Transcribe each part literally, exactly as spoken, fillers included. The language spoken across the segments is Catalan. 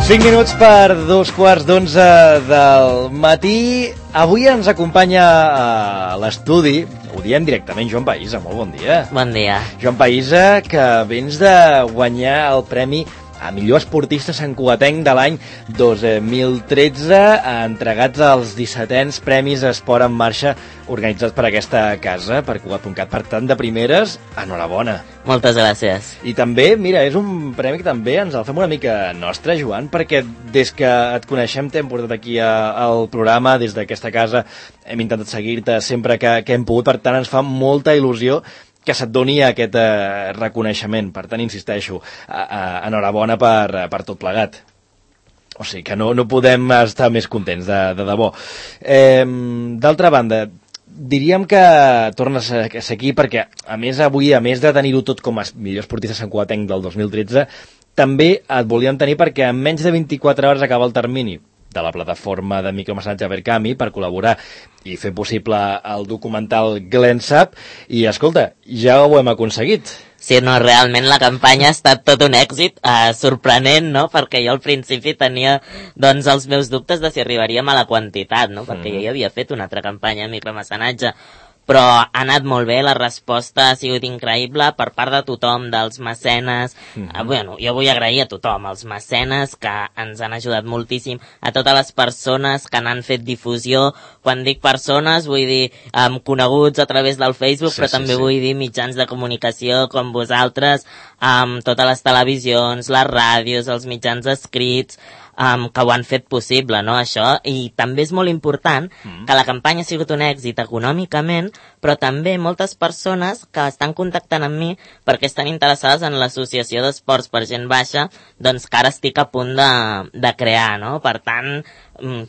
cinc minuts per dos quarts d'onze del matí. Avui ens acompanya a l'estudi, ho diem directament, Joan Païssa. Molt bon dia. Bon dia. Joan Païssa, que vens de guanyar el premi a millor esportista santcugatenc de l'any dos mil tretze, entregats als dissetens Premis Esport en Marxa organitzats per aquesta casa, per Cugat punt cat. Per tant, de primeres, enhorabona. Moltes gràcies. I també, mira, és un premi que també ens el fem una mica nostre, Joan, perquè des que et coneixem t'hem portat aquí a, al programa, des d'aquesta casa hem intentat seguir-te sempre que, que hem pogut, per tant ens fa molta il·lusió que se't doni aquest eh, reconeixement. Per tant, insisteixo, eh, eh, enhorabona per, per tot plegat. O sigui que no, no podem estar més contents, de, de debò. Eh, D'altra banda, diríem que tornes a ser aquí perquè, a més, avui, a més de tenir-ho tot com a millor esportista santcugatenc del dos mil tretze, també et volíem tenir perquè en menys de vint-i-quatre hores acaba el termini de la plataforma de micromecenatge Verkami per col·laborar i fer possible el documental Glensap. I, escolta, ja ho hem aconseguit. Sí, no, realment la campanya ha estat tot un èxit, eh, sorprenent, no?, perquè jo al principi tenia, doncs, els meus dubtes de si arribaríem a la quantitat, no?, perquè mm. jo ja havia fet una altra campanya de micromecenatge, però ha anat molt bé, la resposta ha sigut increïble per part de tothom, dels mecenes. Mm-hmm. eh, bueno, jo vull agrair a tothom, als mecenes que ens han ajudat moltíssim, a totes les persones que n'han fet difusió. Quan dic persones vull dir um, coneguts a través del Facebook, sí, però sí, també sí. vull dir mitjans de comunicació com vosaltres, um, totes les televisions, les ràdios, els mitjans escrits, Um, que ho han fet possible, no, això, i també és molt important mm. que la campanya ha sigut un èxit econòmicament, però també moltes persones que estan contactant amb mi perquè estan interessades en l'associació d'esports per gent baixa, doncs que ara estic a punt de, de crear, no, per tant,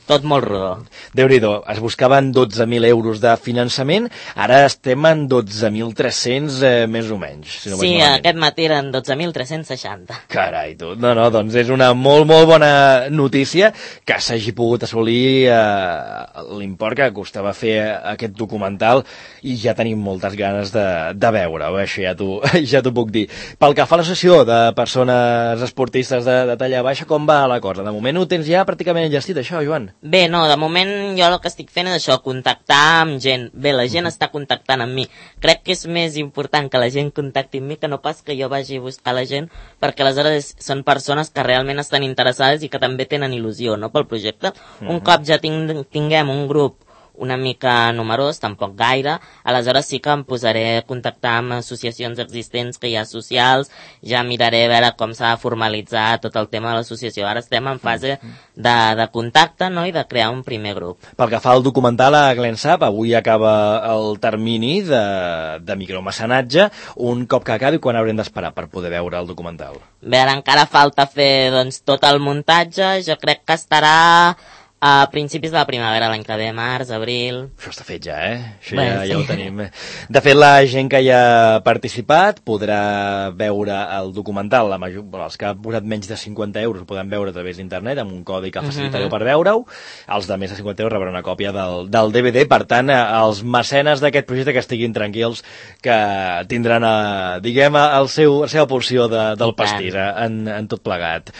tot molt rodó. Déu-n'hi-do, es buscaven dotze mil euros de finançament, ara estem en dotze mil tres-cents eh, més o menys. Si no sí, aquest matí eren dotze mil tres-cents seixanta. Carai, tu, no, no, doncs és una molt, molt bona notícia que s'hagi pogut assolir eh, l'import que costava fer aquest documental i ja tenim moltes ganes de, de veure-ho, això ja t'ho ja t'ho puc dir. Pel que fa a l'associació de persones esportistes de, de talla baixa, com va la cosa? De moment ho tens ja pràcticament enllestit, això, Joan? Bé, no, de moment jo el que estic fent és això, contactar amb gent. Bé, la gent uh-huh. està contactant amb mi. Crec que és més important que la gent contacti amb mi que no pas que jo vagi a buscar la gent, perquè aleshores són persones que realment estan interessades i que també tenen il·lusió, no?, pel projecte. Uh-huh. Un cop ja ting tinguem un grup una mica numerós, tampoc gaire, aleshores sí que em posaré a contactar amb associacions existents que hi ha socials, ja miraré a veure com s'ha de formalitzar tot el tema de l'associació. Ara estem en fase de, de contacte, no?, i de crear un primer grup. Pel que fa al documental a Glensap, avui acaba el termini de, de micromecenatge. Un cop que acabi, quan haurem d'esperar per poder veure el documental? Bé, ara encara falta fer, doncs, tot el muntatge. Jo crec que estarà a principis de la primavera, l'any que ve, març, abril... Això està fet ja, eh? Això Bé, ja, sí. ja ho tenim. De fet, la gent que hi ha participat podrà veure el documental, la major, bueno, els que han posat menys de cinquanta euros ho poden veure a través d'internet, amb un codi que facilitareu uh-huh. per veure-ho. Els de més de cinquanta euros rebran una còpia del, del D V D. Per tant, els mecenes d'aquest projecte que estiguin tranquils, que tindran, a, diguem, el seu, la seva porció de, del pastís en, en tot plegat.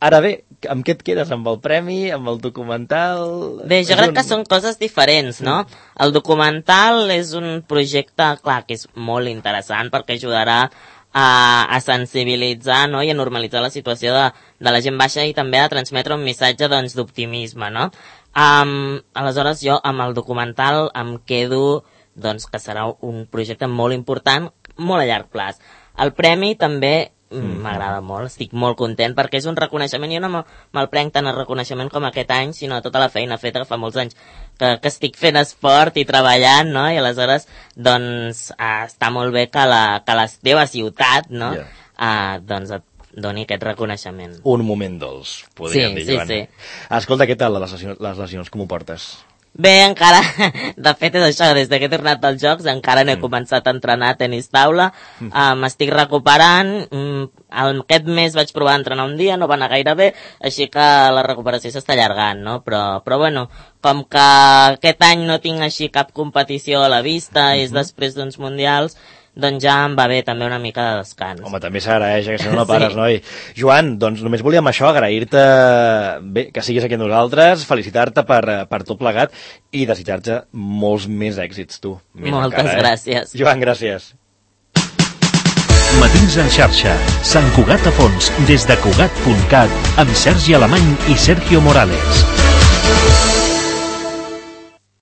Ara bé, amb què et quedes? Amb el premi? Amb el documental? Bé, jo crec un... que són coses diferents, no? El documental és un projecte, clar, que és molt interessant perquè ajudarà a, a sensibilitzar, no?, i a normalitzar la situació de, de la gent baixa i també a transmetre un missatge, doncs, d'optimisme, no? Um, aleshores, jo amb el documental em quedo, doncs, que serà un projecte molt important, molt a llarg plaç. El premi també m'agrada molt, estic molt content perquè és un reconeixement, jo no me'l prenc tant el reconeixement com aquest any, sinó a tota la feina feta que fa molts anys que, que estic fent esport i treballant, no?, i aleshores doncs eh, està molt bé que la, que la teva ciutat, no?, yeah. eh, doncs et doni aquest reconeixement. Un moment dolç, podríem sí, dir, Joan. Sí, sí. Escolta, què tal les lesions, les lesions, com ho portes? Bé, encara, de fet és això, des que he tornat als Jocs encara no he mm. començat a entrenar a tenis taula, mm. uh, m'estic recuperant, um, aquest mes vaig provar a entrenar un dia, no va anar gaire bé, així que la recuperació s'està allargant, no? Però, però bueno, com que aquest any no tinc així cap competició a la vista, mm-hmm. és després d'uns mundials, doncs ja em va bé també una mica de descans. Home, també s'agraeix, que si no no pares, Sí. noi. Joan, doncs només volíem això, agrair-te bé, que siguis aquí amb nosaltres, felicitar-te per, per tot plegat i desitjar-te molts més èxits, tu. Més Moltes encara, eh? gràcies. Joan, gràcies. Matins en xarxa, Sant Cugat a fons, des de Cugat punt cat, amb Sergi Alemany i Sergio Morales.